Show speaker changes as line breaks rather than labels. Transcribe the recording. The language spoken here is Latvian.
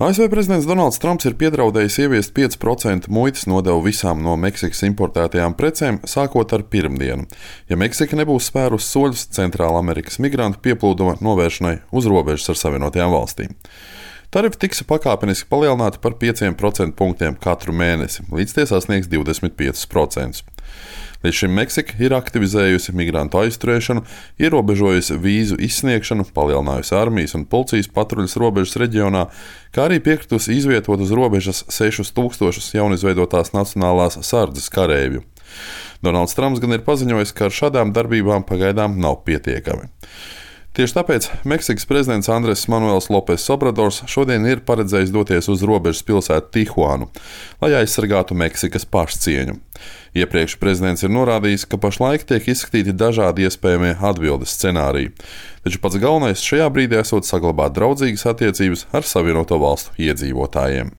ASV prezidents Donalds Trumps ir piedraudējis ieviest 5% muitas nodevu visām no Meksikas importētajām precēm, sākot ar pirmdienu, ja Meksika nebūs spērus soļus Centrālamerikas migrantu pieplūduma novēršanai uz robežas ar Savienotajām valstīm. Tarifi tiks pakāpeniski palielināti par 5% punktiem katru mēnesi, līdz tie sasniegs 25%. Līdz šim Meksika ir aktivizējusi migrantu aizturēšanu, ierobežojusi vīzu izsniegšanu, palielinājusi armijas un policijas patruļas robežas reģionā, kā arī piekritusi izvietot uz robežas 6000 jaunizveidotās nacionālās sardzes kareivju. Donalds Trumps gan ir paziņojis, ka ar šādām darbībām pagaidām nav pietiekami. Tieši tāpēc Meksikas prezidents Andres Manuels Lopes Obradors šodien ir paredzējis doties uz robežas pilsētu Tihuanu, lai aizsargātu Meksikas pašcieņu. Iepriekš prezidents ir norādījis, ka pašlaik tiek izskatīti dažādi iespējamie atbildes scenāriji, taču pats galvenais šajā brīdī esot saglabāt draudzīgas attiecības ar Savienoto valstu iedzīvotājiem.